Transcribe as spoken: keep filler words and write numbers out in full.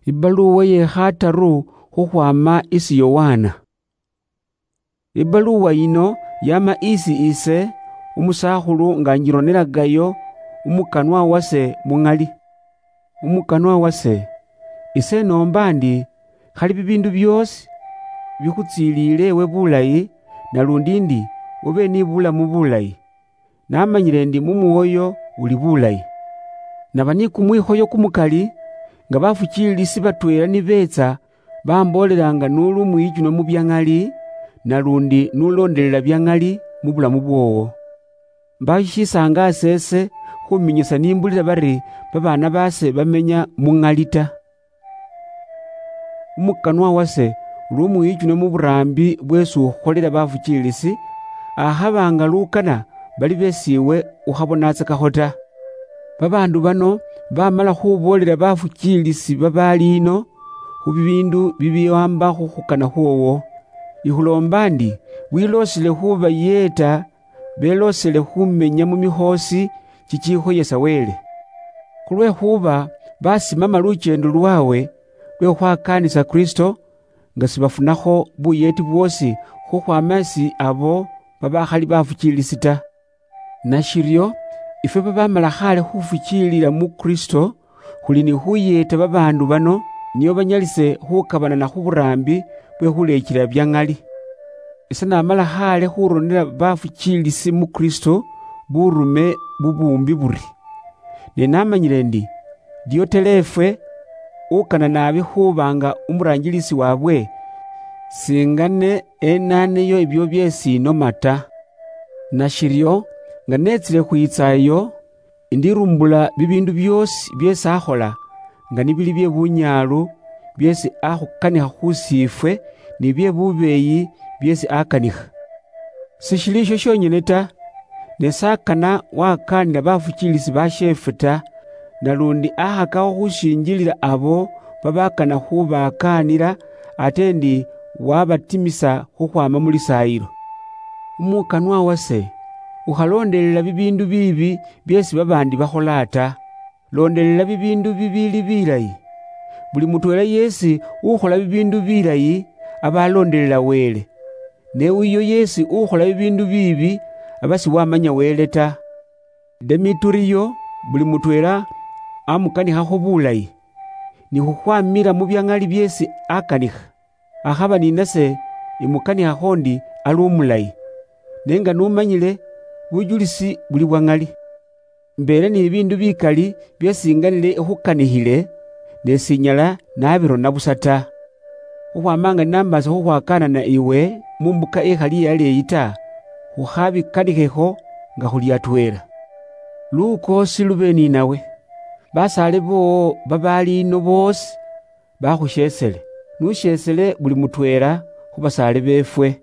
Ibaluwa ye khataru khukhwama isi Yowana. Ibaluwa yino yama isi ise, umusakhulu, nga njironelagayo umukanwa wase muŋali. Umukanwa wase, ise nomba ndi, khali bibindu biosi bikhutsiliile ewe bulayi, nalundi ndi ube ni bulamu bulayi. Namanyile ndi mu mwoyo uli bulayi. Naba ni kumwikhoyo kumukali, nga bafukiilisi batweela ni beetsa, bamboolelanga nuli umwiichunwa mu bya ŋali, nalundi n'ulondelela bya ŋali mu bulamu bwoowo. Mbaho shishisaanga aseese khuminyisa nimbulila bari babaana baase bamenya mu ŋali ta. Umukanwa wase uli umwiichunwa mu buraambi bweesi ukhukholela bafukiilisi, akhaba nga lukana bali beesi iwe ukhabonatsakakho ta. Babaandu bano bamala khuboolela bafukiilisi babaali ino khu bibiindu bibiwaamba khu khukana khwoowo. Ikhuloomba ndi wiloosele khubayeeta beloosele khumenya mu mikhoosi chichikhoyesa Wele. Khulwekhuba basimama lucheendo lwawe lwe khwakaanisa Kristo, nga sibafunakho buyeeti bwoosi khukhwama isi abo babakhali bafukiilisi ta. Nashiryo, ifwe babamala khaale khufukiilila mu Kristo, khuli ni khuyeeta babaandu bano, nio banyalise khukabanana khu buraambi bwe khuleechela bya ŋali. Ise namala khaale khuronela bafukiilisi mu Kristo burume bubuumbi buri. Ne namanyile ndi, Diotelefe, ukana naabi khuba nga umuraanjilisi waabwe, singane enaaneyo ebyo byeesi inoma ta. Nashiryo, nga neetsile khwiitsa eyo, indirumbula bibiindu byoosi byeesi akhola, nga nibili bye bunyaalu byeesi akhukanikha khusiifwe, ni bye bubeeyi byeesi akanikha. Sishili isho shonyene ta, ne s'akana wakaanila bafukiilisi basheefwe ta, nalundi akhakakho khushinjilila abo babakana khubakaanila, ate ndi wabatimisa khukhwama mu lisaayilo. Umukanwa wase, ukhaloondelela bibiindu biibi byeesi babaandi bakhola ta. Loondelela bibiindu bibiili bilayi. Buli mutweela yeesi ukhola bibiindu bilayi, aba aloondelela Wele. Ne uyo yeesi ukhola bibiindu biibi, aba siwamanya Wele ta. Demeturiyo, buli mutweela amukanikhakho bulayi, ni khukhwamila mu bya ŋali byeesi akanikha. Akhaba ni nase imukanikhakho ndi ali umulayi, ne nga numanyile bujulisi buli bwa ŋali. Mbeele ni bibiindu bikali byeesi nganile ikhukanikhile, ne sinyala nabirona busa ta. Khukhwama nga ninambaasa khukhwakaanana iwe mu mbuka ikhali iyaleeyi ta, khukhabikanikhekho nga khuli atweela. Lukoosi lube ninawe. Basaale boowo babaali ino boosi bakhusheesele. Nusheesele buli mutweela khu basaale beefwe.